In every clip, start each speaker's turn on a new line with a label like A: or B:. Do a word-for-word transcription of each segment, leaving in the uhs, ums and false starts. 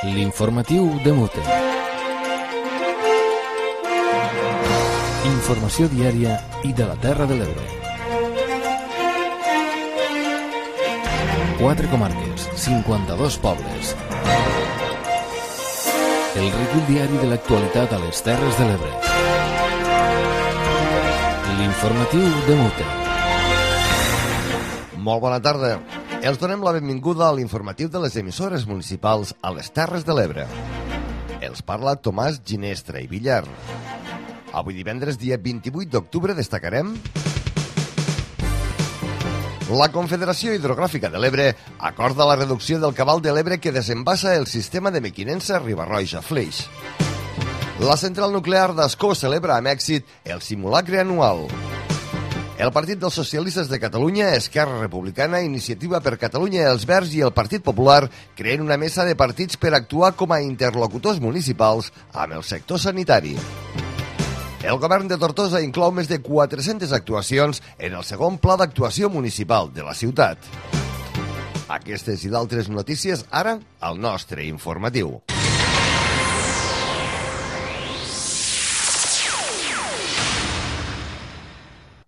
A: L'informatiu de Mute. Informació diària i de la Terra de l'Ebre. Quatre comarques, cinquanta-dos pobles. El recull diari de l'actualitat a les Terres de l'Ebre. L'informatiu de Mute.
B: Molt bona tarda. Els donem la benvinguda a l'informatiu de les emissores municipals a les Terres de l'Ebre. Els parla Tomàs Ginestra i Villar. Avui divendres, dia vint-i-vuit d'octubre, destacarem: la Confederació Hidrogràfica de l'Ebre acorda la reducció del cabal de l'Ebre que desembassa el sistema de Mequinensa Riba-roja-Flix. La central nuclear d'Ascó celebra amb èxit el simulacre anual. El Partit dels Socialistes de Catalunya, Esquerra Republicana, Iniciativa per Catalunya, Els Verds i el Partit Popular creen una mesa de partits per actuar com a interlocutors municipals amb el sector sanitari. El govern de Tortosa inclou més de quatre-centes actuacions en el segon pla d'actuació municipal de la ciutat. Aquestes i d'altres notícies ara al nostre informatiu.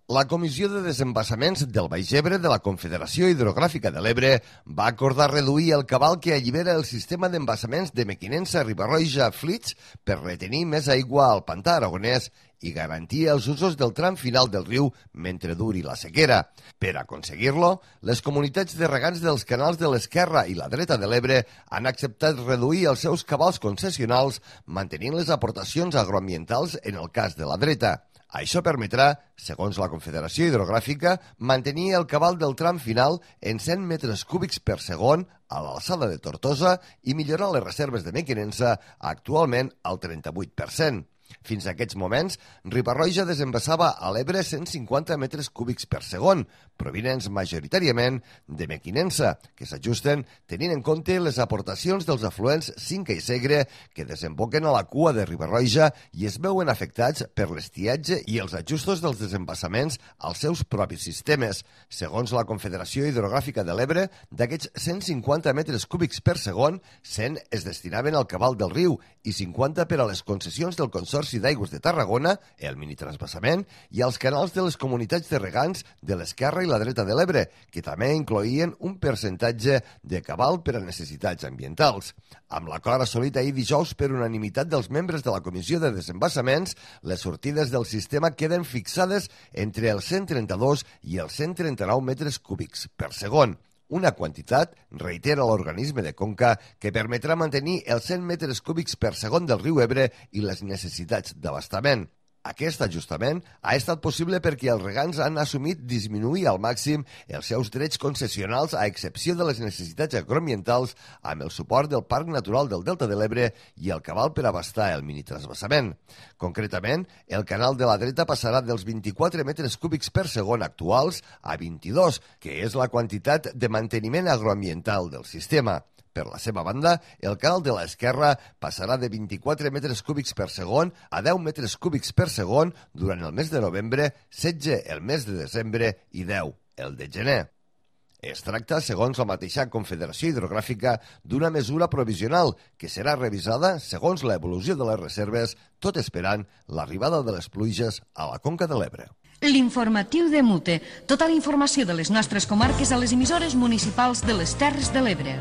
B: La Comissió de Desembassaments del Baix Ebre de la Confederació Hidrogràfica de l'Ebre va acordar reduir el cabal que allibera el sistema d'embassaments de Mequinensa Riba-roja-Flix per retenir més aigua al pantà aragonès i garantir els usos del tram final del riu mentre duri la sequera. Per aconseguir-lo, les comunitats de regants dels canals de l'esquerra i la dreta de l'Ebre han acceptat reduir els seus cabals concessionals mantenint les aportacions agroambientals en el cas de la dreta. Això permetrà, segons la Confederació Hidrogràfica, mantenir el cabal del tram final en cent metres cúbics per segon a l'alçada de Tortosa i millorar les reserves de Mequinensa, actualment al trenta-vuit per cent. Fins a aquests moments, Riba-roja desembassava a l'Ebre cent cinquanta metres cúbics per segon, provinents majoritàriament de Mequinensa, que s'ajusten tenint en compte les aportacions dels afluents Cinca i Segre que desemboquen a la cua de Riba-roja i es veuen afectats per l'estiatge i els ajustos dels desembassaments als seus propis sistemes. Segons la Confederació Hidrogràfica de l'Ebre, d'aquests cent cinquanta metres cúbics per segon, cent es destinaven al cabal del riu i cinquanta per a les concessions del Consorci d'Aigües de Tarragona, el minitransbassament, i als canals de les comunitats de regants de l'esquerra i la dreta de l'Ebre, que també incloïen un percentatge de cabal per a necessitats ambientals. Amb l'acord assolit ahir dijous per unanimitat dels membres de la Comissió de Desembassaments, les sortides del sistema queden fixades entre els cent trenta-dos i els cent trenta-nou metres cúbics per segon. Una quantitat, reitera l'organisme de Conca, que permetrà mantenir els cent metres cúbics per segon del riu Ebre i les necessitats d'abastament. Aquest ajustament ha estat possible perquè els regants han assumit disminuir al màxim els seus drets concessionals a excepció de les necessitats agroambientals amb el suport del Parc Natural del Delta de l'Ebre i el cabal per abastar el minitransbassament. Concretament, el canal de la dreta passarà dels vint-i-quatre metres cúbics per segon actuals a vint-i-dos, que és la quantitat de manteniment agroambiental del sistema. Per la seva banda, el canal de l'esquerra passarà de vint-i-quatre metres cúbics per segon a deu metres cúbics per segon durant el mes de novembre, setze el mes de desembre i deu el de gener. Es tracta, segons la mateixa Confederació Hidrogràfica, d'una mesura provisional que serà revisada segons l'evolució de les reserves, tot esperant l'arribada de les pluges a la conca de l'Ebre.
C: L'informatiu de Mute. Tota la informació de les nostres comarques a les emissores municipals de les Terres de l'Ebre.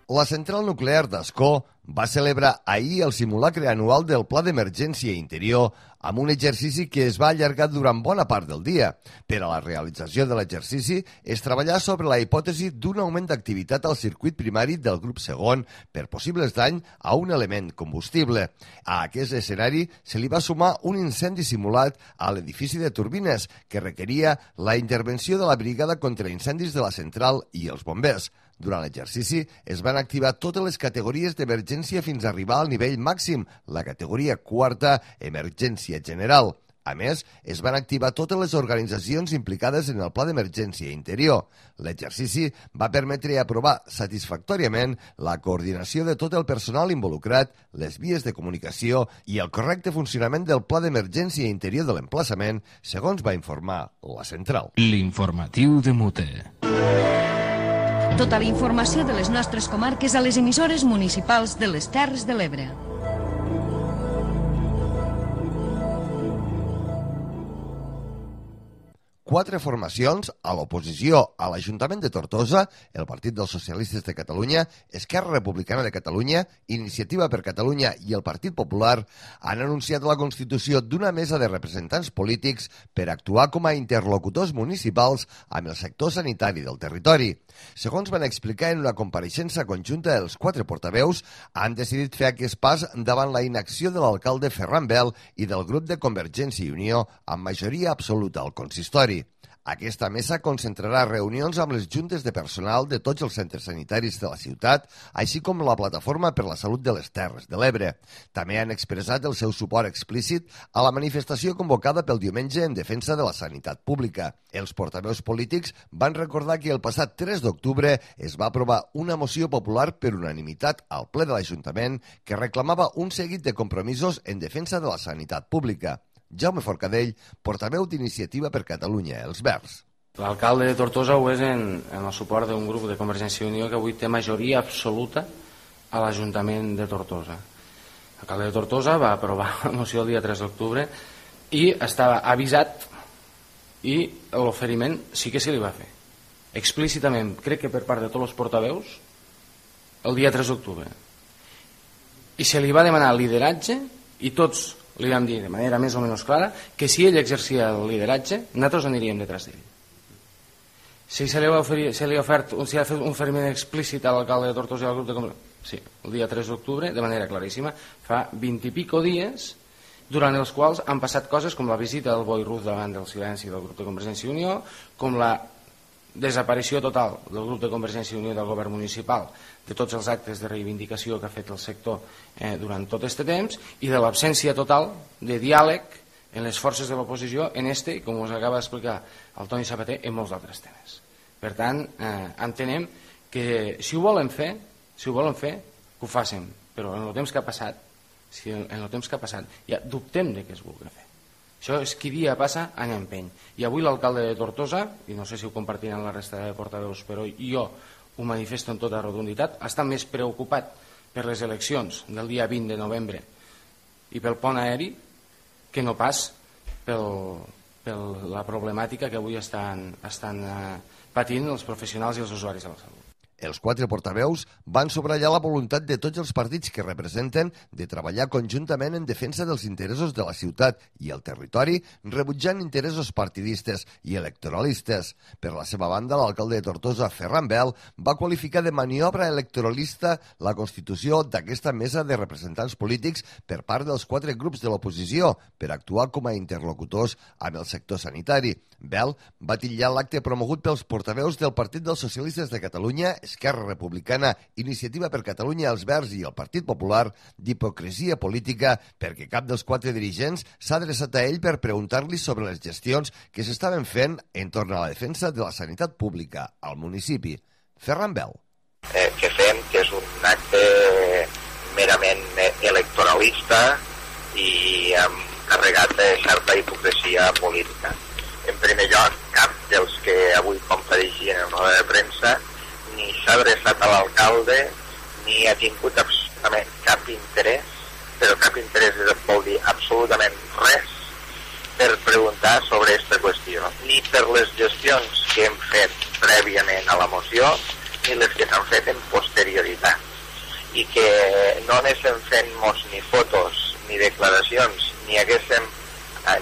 B: La central nuclear d'Ascó va celebrar ahir el simulacre anual del Pla d'Emergència Interior amb un exercici que es va allargar durant bona part del dia. Per a la realització de l'exercici es treballà sobre la hipòtesi d'un augment d'activitat al circuit primari del grup segon per possibles danys a un element combustible. A aquest escenari se li va sumar un incendi simulat a l'edifici de turbines que requeria la intervenció de la brigada contra incendis de la central i els bombers. Durant l'exercici es van activar totes les categories d'emergència fins a arribar al nivell màxim, la categoria quarta, emergència general. A més, es van activar totes les organitzacions implicades en el Pla d'Emergència Interior. L'exercici va permetre aprovar satisfactòriament la coordinació de tot el personal involucrat, les vies de comunicació i el correcte funcionament del Pla d'Emergència Interior de l'emplaçament, segons va informar la central.
A: L'informatiu de Mute.
C: Tota la informació de les nostres comarques a les emissores municipals de les Terres de l'Ebre.
B: Quatre formacions a l'oposició a l'Ajuntament de Tortosa, el Partit dels Socialistes de Catalunya, Esquerra Republicana de Catalunya, Iniciativa per Catalunya i el Partit Popular han anunciat la constitució d'una mesa de representants polítics per actuar com a interlocutors municipals amb el sector sanitari del territori. Segons van explicar en una compareixença conjunta, els quatre portaveus han decidit fer aquest pas davant la inacció de l'alcalde Ferran Bel i del grup de Convergència i Unió amb majoria absoluta al consistori. Aquesta mesa concentrarà reunions amb les juntes de personal de tots els centres sanitaris de la ciutat, així com la Plataforma per la Salut de les Terres de l'Ebre. També han expressat el seu suport explícit a la manifestació convocada pel diumenge en defensa de la sanitat pública. Els portaveus polítics van recordar que el passat tres d'octubre es va aprovar una moció popular per unanimitat al ple de l'Ajuntament que reclamava un seguit de compromisos en defensa de la sanitat pública. Jaume Forcadell, portaveu d'Iniciativa per Catalunya, els Verds.
D: L'alcalde de Tortosa ho és en, en el suport d'un grup de Convergència i Unió que avui té majoria absoluta a l'Ajuntament de Tortosa. L'alcalde de Tortosa va aprovar la moció el dia tres d'octubre i estava avisat i l'oferiment sí que se li va fer. Explícitament, crec que per part de tots els portaveus, el dia tres d'octubre. I se li va demanar lideratge i tots li vam dir de manera més o menys clara que si ell exercia el lideratge, nosaltres aniríem detrás d'ell. Si se li ha ofert, se li ha ofert, si ha fet un oferiment explícit a l'alcalde de Tortosa i al grup de... Sí, el dia tres d'octubre, de manera claríssima, fa vint i pico dies, durant els quals han passat coses com la visita del Boi Ruz davant del silenci del grup de Convergència i Unió, com la desaparició total del grup de Convergència i Unió del govern municipal, de tots els actes de reivindicació que ha fet el sector eh, durant tot aquest temps i de l'absència total de diàleg en les forces de l'oposició en este, com us acaba d'explicar el Toni Sabater, en molts altres temes. Per tant, eh, entenem que si ho volen fer, si ho volen fer, que ho facin, però en el temps que ha passat, si en el temps que ha passat ja dubtem de què es vulgui fer. Això és qui dia passa, any empeny. I avui l'alcalde de Tortosa, i no sé si ho compartiran la resta de portaveus, però jo ho manifesto en tota rotunditat, està més preocupat per les eleccions del dia vint de novembre i pel pont aeri que no pas per la problemàtica que avui estan, estan eh, patint els professionals i els usuaris de la salut.
B: Els quatre portaveus van subratllar la voluntat de tots els partits que representen de treballar conjuntament en defensa dels interessos de la ciutat i el territori, rebutjant interessos partidistes i electoralistes. Per la seva banda, l'alcalde de Tortosa, Ferran Bel, va qualificar de maniobra electoralista la constitució d'aquesta mesa de representants polítics per part dels quatre grups de l'oposició per actuar com a interlocutors amb el sector sanitari. Bel va titllar l'acte promogut pels portaveus del Partit dels Socialistes de Catalunya, Esquerra Republicana, Iniciativa per Catalunya, els Verds i el Partit Popular d'hipocresia política perquè cap dels quatre dirigents s'ha adreçat a ell per preguntar-li sobre les gestions que s'estaven fent entorn a la defensa de la sanitat pública al municipi. Ferran Bel.
E: Eh, que fem que és un acte merament electoralista i amb carregat de certa hipocresia política. En primer lloc, cap dels que avui compareixien en una roda de premsa ni s'ha adreçat a l'alcalde ni ha tingut absolutament cap interès, però cap interès vol dir absolutament res per preguntar sobre aquesta qüestió, ni per les gestions que hem fet prèviament a la moció ni les que s'han fet en posterioritat, i que no anéssim fent-nos ni fotos ni declaracions ni haguéssim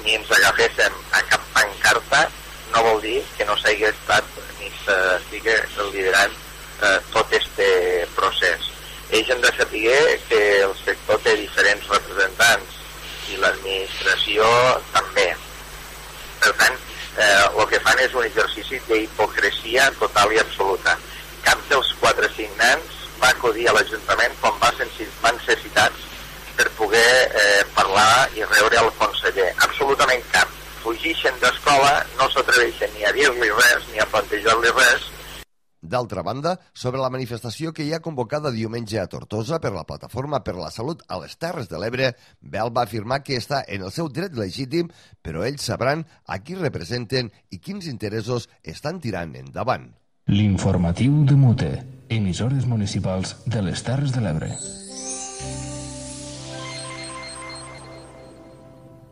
E: ni ens agaféssim a cap pancarta no vol dir que no s'hagi estat ni s'estigui liderant eh, tot este procés. Ells han de saber que el sector té diferents representants i l'administració també. Per tant, eh, el que fan és un exercici d'hipocresia total i absoluta. Cap dels quatre signants va acudir a l'Ajuntament quan van ser citats per poder eh, parlar i rebre el conseller. Absolutament cap. Fugixen d'escola, no s'atreveixen ni a dir-li res ni a plantejar-li res.
B: D'altra banda, sobre la manifestació que hi ha convocada diumenge a Tortosa per la Plataforma per la Salut a les Terres de l'Ebre, Bel va afirmar que està en el seu dret legítim, però ells sabran a qui representen i quins interessos estan tirant endavant.
A: L'informatiu de Mute, emissores municipals de les Terres de l'Ebre.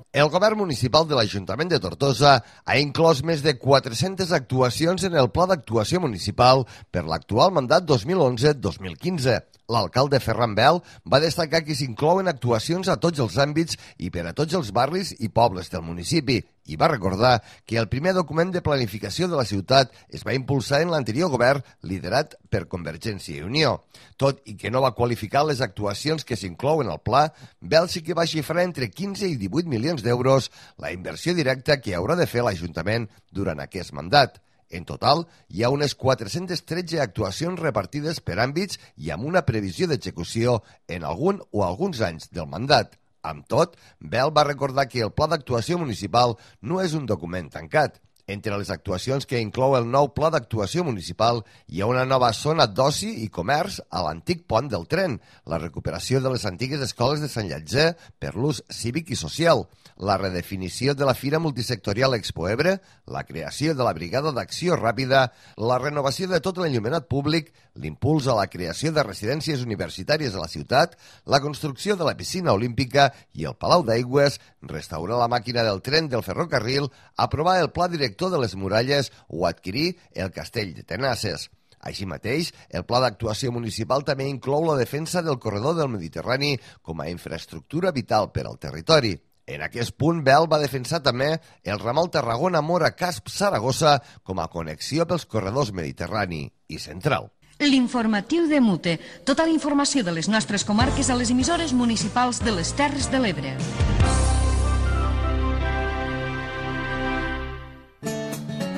B: El govern municipal de l'Ajuntament de Tortosa ha inclòs més de quatre-centes actuacions en el Pla d'Actuació Municipal per l'actual mandat dos mil onze dos mil quinze. L'alcalde Ferran Bel va destacar que s'inclouen actuacions a tots els àmbits i per a tots els barris i pobles del municipi i va recordar que el primer document de planificació de la ciutat es va impulsar en l'anterior govern liderat per Convergència i Unió. Tot i que no va qualificar les actuacions que s'inclouen al pla, Bel sí que va xifrar entre quinze i divuit milions d'euros la inversió directa que haurà de fer l'Ajuntament durant aquest mandat. En total, hi ha unes quatre-centes tretze actuacions repartides per àmbits i amb una previsió d'execució en algun o alguns anys del mandat. Amb tot, Bel va recordar que el Pla d'Actuació Municipal no és un document tancat. Entre les actuacions que inclou el nou Pla d'Actuació Municipal hi ha una nova zona d'oci i comerç a l'antic pont del tren, la recuperació de les antigues escoles de Sant Llàtzer per l'ús cívic i social, la redefinició de la Fira Multisectorial Expo Ebre, la creació de la Brigada d'Acció Ràpida, la renovació de tot l'enllumenat públic, l'impuls a la creació de residències universitàries a la ciutat, la construcció de la piscina olímpica i el Palau d'Aigües, restaurar la màquina del tren del ferrocarril, aprovar el pla director de les muralles o adquirir el castell de Tenasses. Així mateix, el Pla d'Actuació Municipal també inclou la defensa del corredor del Mediterrani com a infraestructura vital per al territori. En aquest punt, Bel va defensar també el ramal Tarragona-Mora-Casp-Saragossa com a connexió pels corredors Mediterrani i Central.
C: L'informatiu de Mute. Tota la informació de les nostres comarques a les emissores municipals de les Terres de l'Ebre.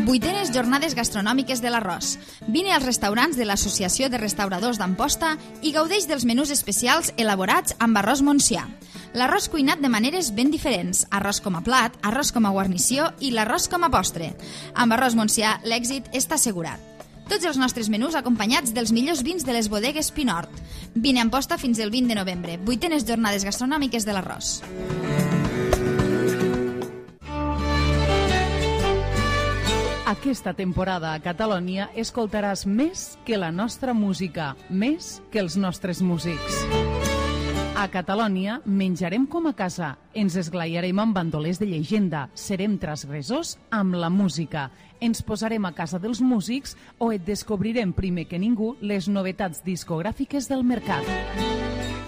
F: Vuitenes jornades gastronòmiques de l'arròs. Vine als restaurants de l'Associació de Restauradors d'Amposta i gaudeix dels menús especials elaborats amb arròs Montsià. L'arròs cuinat de maneres ben diferents, arròs com a plat, arròs com a guarnició i l'arròs com a postre. Amb arròs Montsià l'èxit està assegurat. Tots els nostres menús acompanyats dels millors vins de les bodegues Pinort. Vine a Amposta fins el vint de novembre. Vuitenes jornades gastronòmiques de l'arròs.
G: Aquesta temporada a Catalònia escoltaràs més que la nostra música, més que els nostres músics. A Catalònia menjarem com a casa, ens esglaiarem amb bandolers de llegenda, serem transgressors amb la música, ens posarem a casa dels músics o et descobrirem primer que ningú les novetats discogràfiques del mercat.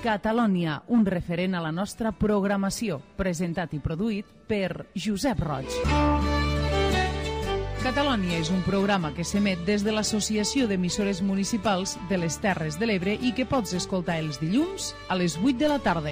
G: Catalònia, un referent a la nostra programació, presentat i produït per Josep Roig. Catalònia és un programa que s'emet des de l'Associació d'Emissores Municipals de les Terres de l'Ebre i que pots escoltar els dilluns a les vuit de la tarda.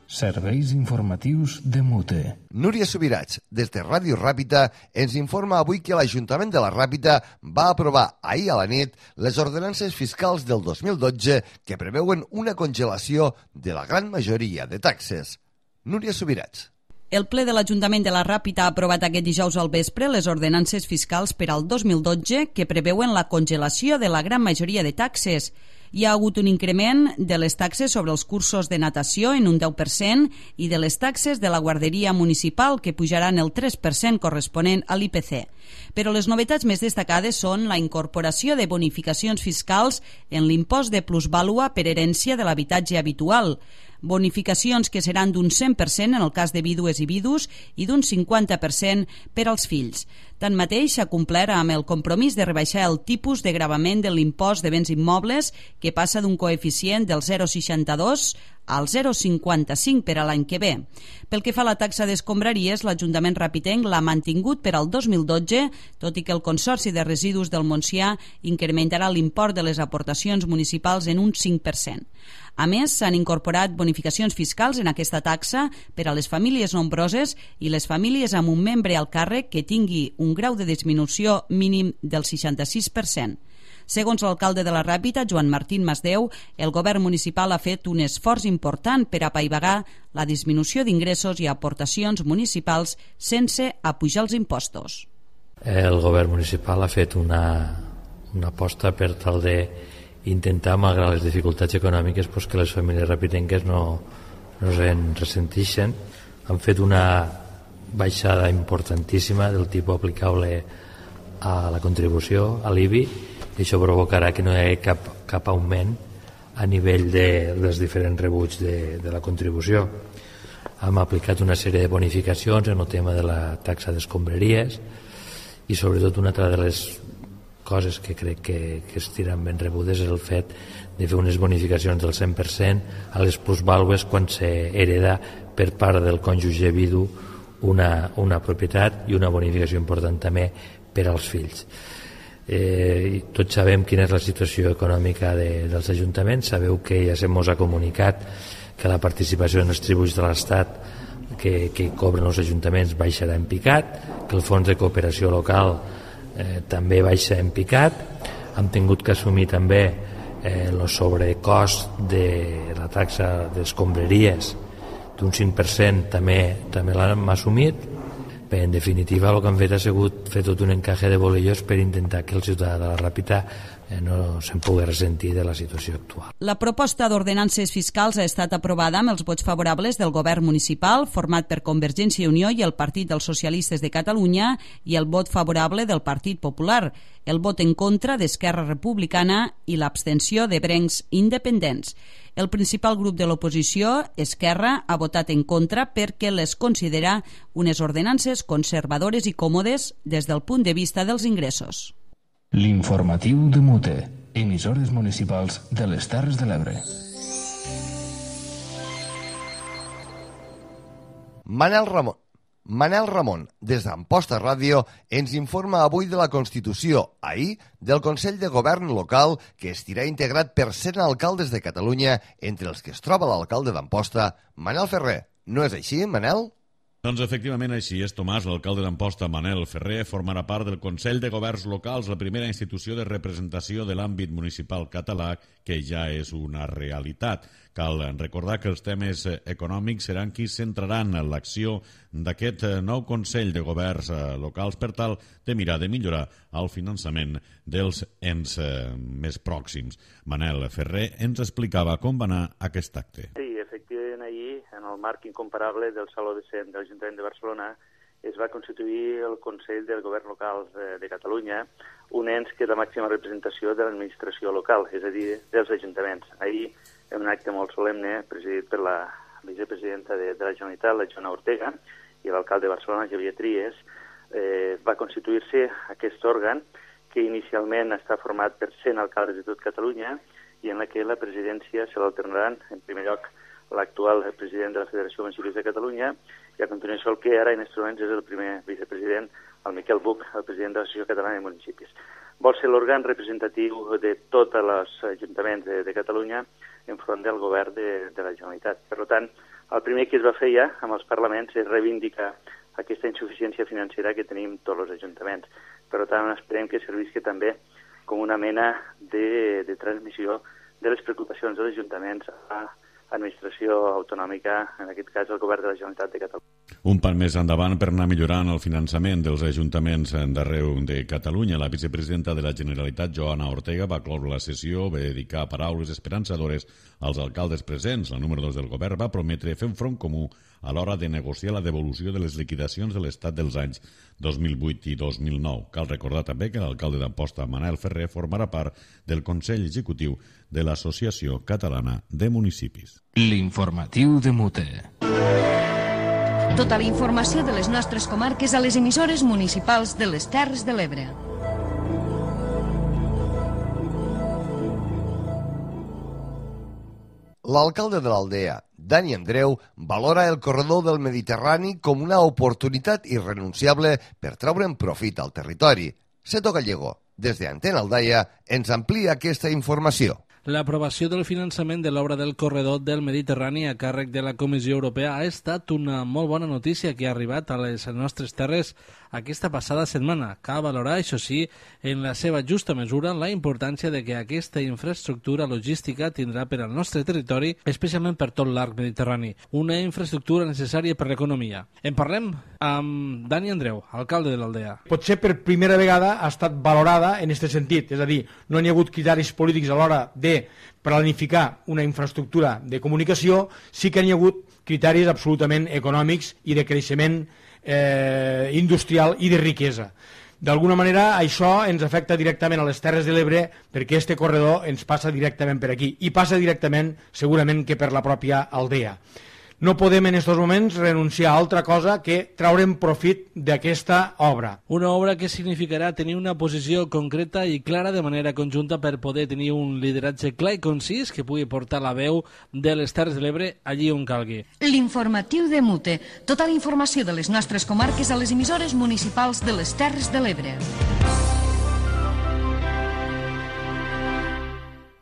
A: Serveis informatius de Mute.
B: Núria Subirats, des de Ràdio Ràpita, ens informa avui que l'Ajuntament de la Ràpita va aprovar ahir a la nit les ordenances fiscals del dos mil dotze que preveuen una congelació de la gran majoria de taxes. Núria Subirats.
H: El ple de l'Ajuntament de la Ràpita ha aprovat aquest dijous al vespre les ordenances fiscals per al dos mil dotze que preveuen la congelació de la gran majoria de taxes. Hi ha hagut un increment de les taxes sobre els cursos de natació en un deu per cent i de les taxes de la guarderia municipal que pujaran el tres per cent corresponent a l'I P C. Però les novetats més destacades són la incorporació de bonificacions fiscals en l'impost de plusvàlua per herència de l'habitatge habitual, bonificacions que seran d'un cent per cent en el cas de vídues i vidus i d'un cinquanta per cent per als fills. Tanmateix, s'ha complert amb el compromís de rebaixar el tipus de gravament de l'impost de béns immobles, que passa d'un coeficient del zero coma seixanta-dos al zero coma cinquanta-cinc per a l'any que ve. Pel que fa a la taxa d'escombraries, l'Ajuntament rapitenc l'ha mantingut per al dos mil dotze, tot i que el Consorci de Residus del Montsià incrementarà l'import de les aportacions municipals en un cinc per cent. A més, s'han incorporat bonificacions fiscals en aquesta taxa per a les famílies nombroses i les famílies amb un membre al càrrec que tingui un grau de disminució mínim del seixanta-sis per cent. Segons l'alcalde de la Ràpita, Joan Martín Masdeu, el govern municipal ha fet un esforç important per apaivagar la disminució d'ingressos i aportacions municipals sense apujar els impostos.
I: El govern municipal ha fet una, una aposta per tal de intentar, malgrat les dificultats econòmiques, pues, que les famílies rapitenques no, no se'n ressentixen. Han fet una baixada importantíssima del tipus aplicable a la contribució, a l'I B I, i això provocarà que no hi hagi cap, cap augment a nivell de, dels diferents rebuts de, de la contribució. Hem aplicat una sèrie de bonificacions en el tema de la taxa d'escombraries i sobretot una altra de les coses que crec que, que estiran ben rebudes és el fet de fer unes bonificacions del cent per cent a les plusvàlues quan s'hereda per part del cònjuge vidu una, una propietat i una bonificació important també per als fills. Eh, tots sabem quina és la situació econòmica de, dels ajuntaments. Sabeu que ja se mos ha comunicat que la participació en els tributs de l'Estat que, que cobren els ajuntaments baixarà en picat, que el fons de cooperació local eh, també baixa en picat. Hem tingut que assumir també eh, el sobrecost de la taxa d'escombraries d'un cinc per cent, també, també l'hem assumit. Bé, en definitiva, el que han fet ha sigut fer tot un encaje de bolillos per intentar que el ciutadà de la Ràpita eh, no se'n pugui ressentir de la situació actual.
H: La proposta d'ordenances fiscals ha estat aprovada amb els vots favorables del govern municipal, format per Convergència i Unió i el Partit dels Socialistes de Catalunya, i el vot favorable del Partit Popular, el vot en contra d'Esquerra Republicana i l'abstenció de Brencs Independents. El principal grup de l'oposició, Esquerra, ha votat en contra perquè les considera unes ordenances conservadores i còmodes des del punt de vista dels ingressos.
A: L'informatiu de Mute, emissores municipals de les Terres de l'Ebre.
B: Manel Ramon. Manel Ramon, des d'Amposta Ràdio, ens informa avui de la Constitució, ahir, del Consell de Govern local, que estirà integrat per cent alcaldes de Catalunya, entre els que es troba l'alcalde d'Amposta, Manel Ferrer. No és així, Manel?
J: Doncs efectivament així és, Tomàs. L'alcalde d'Amposta, Manel Ferrer, formarà part del Consell de Governs Locals, la primera institució de representació de l'àmbit municipal català, que ja és una realitat. Cal recordar que els temes econòmics seran qui centraran l'acció d'aquest nou Consell de Governs Locals per tal de mirar de millorar el finançament dels ens més pròxims. Manel Ferrer ens explicava com va anar aquest acte.
K: Sí, efectivament, ahir, en el marc incomparable del Saló de Cent de l'Ajuntament de Barcelona, es va constituir el Consell del Govern Local de, de Catalunya, un ens que és la màxima representació de l'administració local, és a dir, dels ajuntaments. Ahir, en un acte molt solemne, presidit per la vicepresidenta de, de la Generalitat, la Joana Ortega, i l'alcalde de Barcelona, Javier Tries, eh, va constituir-se aquest òrgan que inicialment està format per cent alcaldes de tot Catalunya i en la que la presidència se l'alternaran, en primer lloc, l'actual president de la Federació de Municipis de Catalunya, i a continuació el que ara en aquests moments és el primer vicepresident, el Miquel Buch, el president de l'Associació Catalana de Municipis. Vol ser l'òrgan representatiu de tots els ajuntaments de, de Catalunya enfront del govern de, de la Generalitat. Per tant, el primer que es va fer ja amb els parlaments és reivindicar aquesta insuficiència financera que tenim tots els ajuntaments. Per tant, esperem que servisca també com una mena de, de transmissió de les preocupacions dels ajuntaments a administració autonòmica, en aquest cas el govern de la Generalitat de Catalunya.
J: Un pas més endavant per anar millorant el finançament dels ajuntaments d'arreu de Catalunya. La vicepresidenta de la Generalitat, Joana Ortega, va cloure la sessió, va dedicar paraules esperançadores als alcaldes presents. La número dos del govern va prometre fer un front comú a l'hora de negociar la devolució de les liquidacions de l'Estat dels anys dos mil vuit i dos mil nou. Cal recordar també que l'alcalde d'Amposta, Manel Ferrer, formarà part del Consell Executiu de l'Associació Catalana de Municipis.
A: L'informatiu de Mute.
C: Tota la informació de les nostres comarques a les emissores municipals de les Terres de l'Ebre.
B: L'alcalde de l'Aldea, Dani Andreu, valora el corredor del Mediterrani com una oportunitat irrenunciable per treure'n profit al territori. Seto Gallego, des d'Antena Aldaia, ens amplia aquesta informació.
L: L'aprovació del finançament de l'obra del corredor del Mediterrani a càrrec de la Comissió Europea ha estat una molt bona notícia que ha arribat a les nostres terres aquesta passada setmana. Cal valorar, això sí, en la seva justa mesura la importància de que aquesta infraestructura logística tindrà per al nostre territori, especialment per tot l'arc mediterrani, una infraestructura necessària per l'economia. En parlem amb Dani Andreu, alcalde de l'Aldea.
M: Potser per primera vegada ha estat valorada en aquest sentit, és a dir, no hi ha hagut criteris polítics a l'hora de planificar una infraestructura de comunicació, sí que hi ha hagut criteris absolutament econòmics i de creixement eh, industrial i de riquesa. D'alguna manera això ens afecta directament a les Terres de l'Ebre perquè este corredor ens passa directament per aquí i passa directament segurament que per la pròpia aldea. No podem en aquests moments renunciar a altra cosa que traure'n profit d'aquesta obra.
L: Una obra que significarà tenir una posició concreta i clara de manera conjunta per poder tenir un lideratge clar i concís que pugui portar la veu de les Terres de l'Ebre allí on calgui.
C: L'informatiu de Mute. Tota la informació de les nostres comarques a les emissores municipals de les Terres de l'Ebre.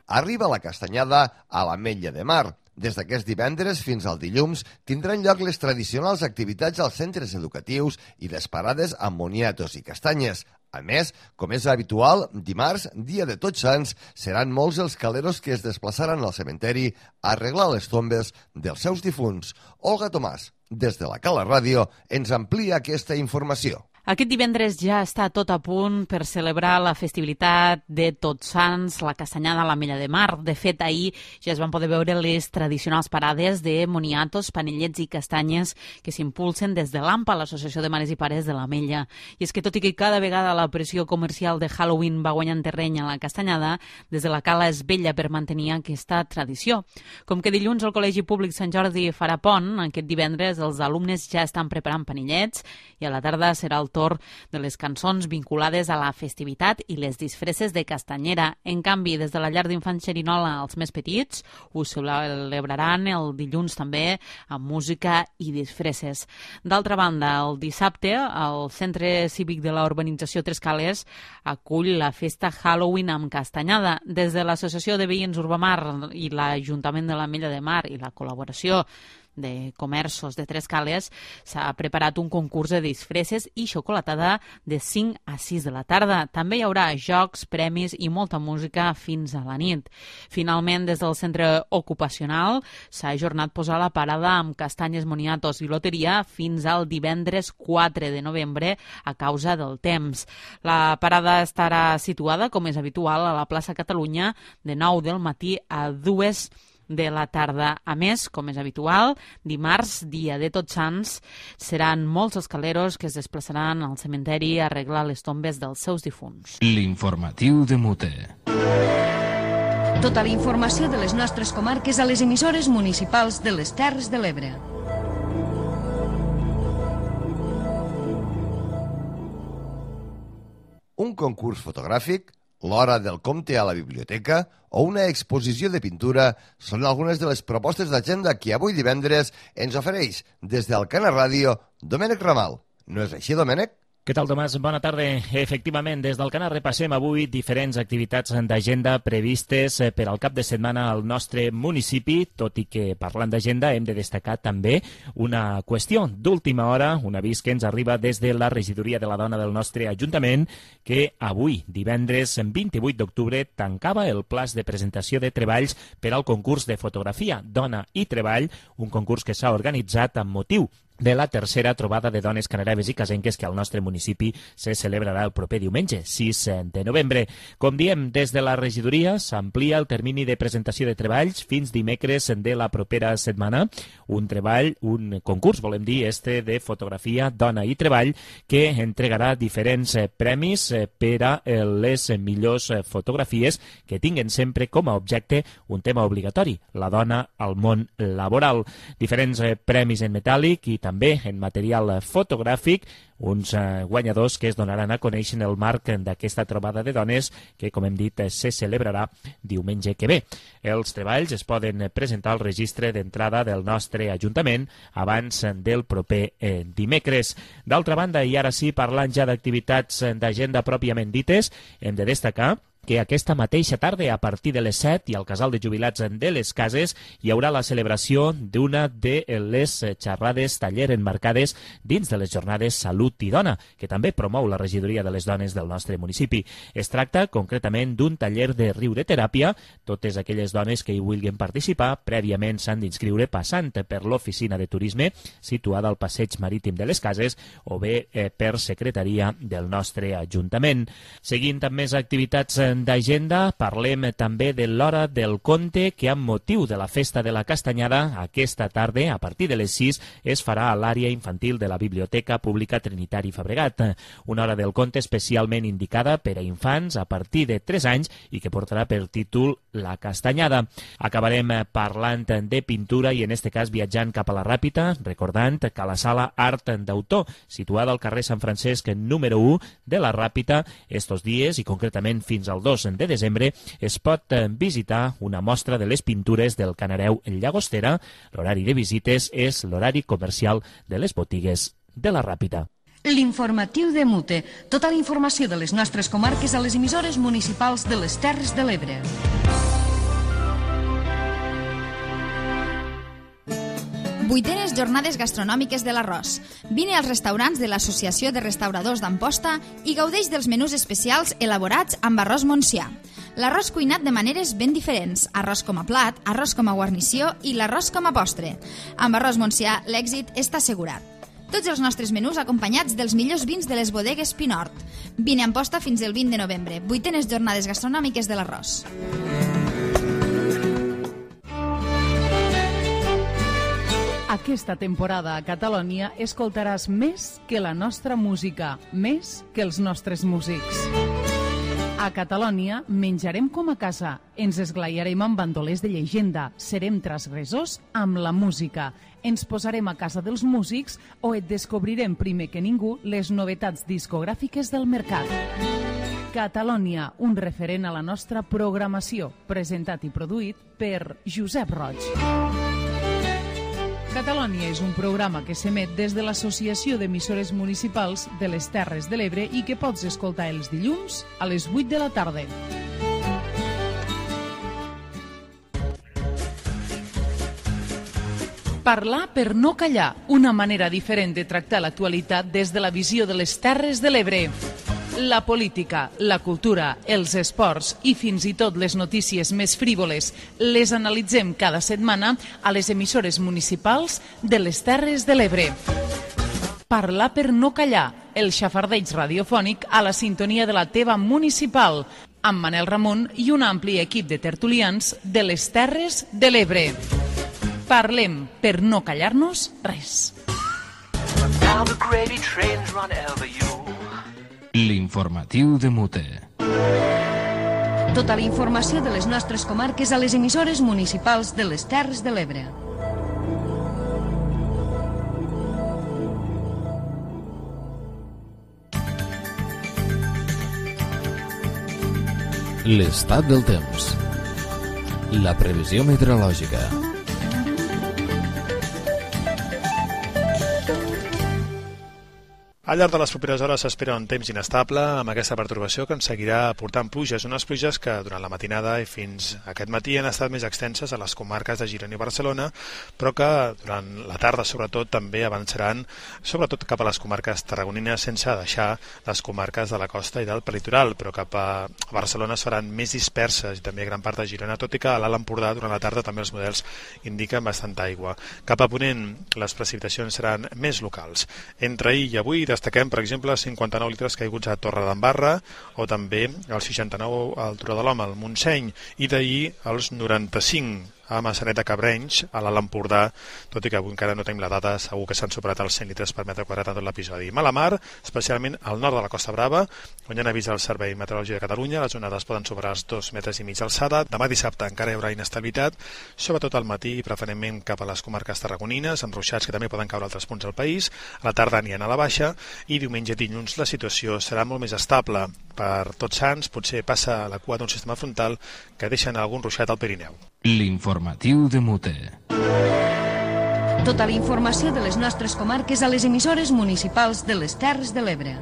B: Arriba la castanyada a l'Ametlla de Mar. Des d'aquest divendres fins al dilluns tindran lloc les tradicionals activitats als centres educatius i les parades amb moniatos i castanyes. A més, com és habitual, dimarts, dia de Tots Sants, seran molts els caleros que es desplaçaran al cementeri a arreglar les tombes dels seus difunts. Olga Tomàs, des de la Cala Ràdio, ens amplia aquesta informació.
N: Aquest divendres ja està tot a punt per celebrar la festivitat de Tots Sants, la castanyada a l'Ametlla de Mar. De fet, ahir ja es van poder veure les tradicionals parades de moniatos, panellets i castanyes que s'impulsen des de l'AMPA, l'Associació de Mares i Pares de l'Ametlla. I és que tot i que cada vegada la pressió comercial de Halloween va guanyant terreny a la castanyada, des de la Cala es vetlla per mantenir aquesta tradició. Com que dilluns el Col·legi Públic Sant Jordi farà pont, aquest divendres els alumnes ja estan preparant panellets i a la tarda serà el torn de les cançons vinculades a la festivitat i les disfresses de castanyera. En canvi, des de la llar d'infants Xerinola als més petits, ho celebraran el dilluns també amb música i disfresses. D'altra banda, el dissabte, el Centre Cívic de la Urbanització Tres Cales acull la festa Halloween amb castanyada. Des de l'Associació de Veïns Urbamar i l'Ajuntament de l'Ametlla de Mar i la col·laboració de comerços de Tres Cales s'ha preparat un concurs de disfresses i xocolatada de cinc a sis de la tarda. També hi haurà jocs, premis i molta música fins a la nit. Finalment, des del centre ocupacional s'ha ajornat posar la parada amb castanyes, moniatos i loteria fins al divendres quatre de novembre a causa del temps. La parada estarà situada, com és habitual, a la plaça Catalunya de nou del matí a dues de la tarda. A més, com és habitual, dimarts, dia de Tots Sants, seran molts els caleros que es desplaçaran al cementeri a arreglar les tombes dels seus difunts.
A: L'informatiu de Mute.
C: Tota la informació de les nostres comarques a les emissores municipals de les Terres de l'Ebre.
B: Un concurs fotogràfic, l'hora del compte a la biblioteca o una exposició de pintura són algunes de les propostes d'agenda que avui divendres ens ofereix des del Cana Ràdio Domènec Ramal. No és així, Domènec?
O: Què tal, Tomàs? Bona tarda. Efectivament, des del Cana repassem avui diferents activitats d'agenda previstes per al cap de setmana al nostre municipi, tot i que parlant d'agenda hem de destacar també una qüestió d'última hora, un avís que ens arriba des de la regidoria de la dona del nostre Ajuntament, que avui, divendres vint-i-vuit d'octubre, tancava el plaç de presentació de treballs per al concurs de fotografia Dona i Treball, un concurs que s'ha organitzat amb motiu de la tercera trobada de dones canareves i casenques que al nostre municipi se celebrarà el proper diumenge, sis de novembre. Com diem, des de la regidoria s'amplia el termini de presentació de treballs fins dimecres de la propera setmana. Un treball, un concurs, volem dir, este de fotografia, dona i treball, que entregarà diferents premis per a les millors fotografies que tinguen sempre com a objecte un tema obligatori, la dona al món laboral. Diferents premis en metàl·lic i també en material fotogràfic, uns eh, guanyadors que es donaran a conèixer en el marc d'aquesta trobada de dones que, com hem dit, se celebrarà diumenge que ve. Els treballs es poden presentar al registre d'entrada del nostre Ajuntament abans del proper eh, dimecres. D'altra banda, i ara sí, parlant ja d'activitats d'agenda pròpiament dites, hem de destacar que aquesta mateixa tarda, a partir de les set, i al Casal de Jubilats de les Cases, hi haurà la celebració d'una de les xerrades taller emmarcades dins de les jornades Salut i Dona, que també promou la regidoria de les dones del nostre municipi. Es tracta concretament d'un taller de riureteràpia. Totes aquelles dones que hi vulguin participar prèviament s'han d'inscriure passant per l'oficina de turisme situada al passeig marítim de les Cases o bé eh, per secretaria del nostre Ajuntament. Seguint amb més activitats d'agenda parlem també de l'Hora del Conte, que amb motiu de la Festa de la Castanyada, aquesta tarda, a partir de les sis, es farà a l'àrea infantil de la Biblioteca Pública Trinitari Fabregat. Una Hora del Conte especialment indicada per a infants a partir de tres anys i que portarà per títol La Castanyada. Acabarem parlant de pintura i en este cas viatjant cap a la Ràpita, recordant que la sala Art d'Autor, situada al carrer Sant Francesc número u de la Ràpita, estos dies i concretament fins al dos de desembre es pot visitar una mostra de les pintures del Canareu Llagostera. L'horari de visites és l'horari comercial de les botigues de la Ràpita.
C: L'informatiu de Mute. Tota la informació de les nostres comarques a les emissores municipals de les Terres de l'Ebre.
F: Vuitenes jornades gastronòmiques de l'arròs. Vine als restaurants de l'Associació de Restauradors d'Amposta i gaudeix dels menús especials elaborats amb arròs Montsià. L'arròs cuinat de maneres ben diferents, arròs com a plat, arròs com a guarnició i l'arròs com a postre. Amb arròs Montsià l'èxit està assegurat. Tots els nostres menús acompanyats dels millors vins de les bodegues Pinort. Vine a Amposta fins el vint de novembre. Vuitenes jornades gastronòmiques de l'arròs.
G: Aquesta temporada a Catalònia escoltaràs més que la nostra música, més que els nostres músics. A Catalònia menjarem com a casa, ens esglaiarem amb bandolers de llegenda, serem transgressors amb la música, ens posarem a casa dels músics o et descobrirem primer que ningú les novetats discogràfiques del mercat. Catalònia, un referent a la nostra programació, presentat i produït per Josep Roig. Catalònia és un programa que s'emet des de l'Associació d'Emissores Municipals de les Terres de l'Ebre i que pots escoltar els dilluns a les vuit de la tarda. Parlar per no callar, una manera diferent de tractar l'actualitat des de la visió de les Terres de l'Ebre. La política, la cultura, els esports i fins i tot les notícies més frívoles les analitzem cada setmana a les emissores municipals de les Terres de l'Ebre. Parlar per no callar, el xafardeig radiofònic a la sintonia de la teva municipal, amb Manel Ramon i un ampli equip de tertulians de les Terres de l'Ebre. Parlem per no callar-nos res.
A: L'informatiu de Mute.
C: Tota la informació de les nostres comarques a les emissores municipals de les Terres de l'Ebre.
A: L'estat del temps. La previsió meteorològica.
P: Al llarg de les properes hores s'espera un temps inestable amb aquesta pertorbació que ens seguirà portant pluges, unes pluges que durant la matinada i fins aquest matí han estat més extenses a les comarques de Girona i Barcelona, però que durant la tarda sobretot també avançaran sobretot cap a les comarques tarragonines sense deixar les comarques de la costa i del prelitoral, però cap a Barcelona es faran més disperses i també gran part de Girona, tot i que a l'Alt Empordà durant la tarda també els models indiquen bastanta aigua. Cap a ponent les precipitacions seran més locals. Entre ahir i avui destaquem, per exemple, cinquanta-nou litres caiguts a Torre d'Embarra o també els seixanta-nou al Turó de l'Home, al Montseny, i d'ahir els noranta-cinc a Massanet de Cabrenys, a l'Alt Empordà, tot i que avui encara no tenim la data, segur que s'han superat els cent litres per metre quadrat en tot l'episodi. Mala mar, especialment al nord de la Costa Brava, on ja n'avisa el Servei Meteorològic de Catalunya, les onades poden superar els dos metres i mig d'alçada. Demà dissabte encara hi haurà inestabilitat, sobretot al matí i preferentment cap a les comarques tarragonines, amb ruixats que també poden caure a altres punts del país. A la tarda aniran a la baixa i diumenge i dilluns la situació serà molt més estable. Per Tots Sants potser passa la cua d'un sistema frontal que deixen algun ruixat al Pirineu.
A: L'informatiu de Mute.
C: Tota la informació de les nostres comarques a les emissores municipals de les Terres de l'Ebre.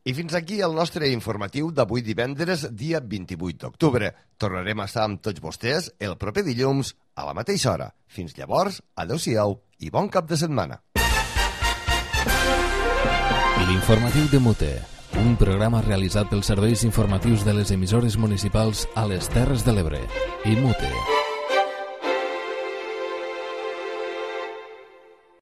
B: I fins aquí el nostre informatiu d'avui divendres, dia vint-i-vuit d'octubre. Tornarem a estar amb tots vostès el proper dilluns a la mateixa hora. Fins llavors, adeu-siau i bon cap de setmana.
A: L'informatiu de Mute, un programa realitzat pels serveis informatius de les emissores municipals a les Terres de l'Ebre i Mute.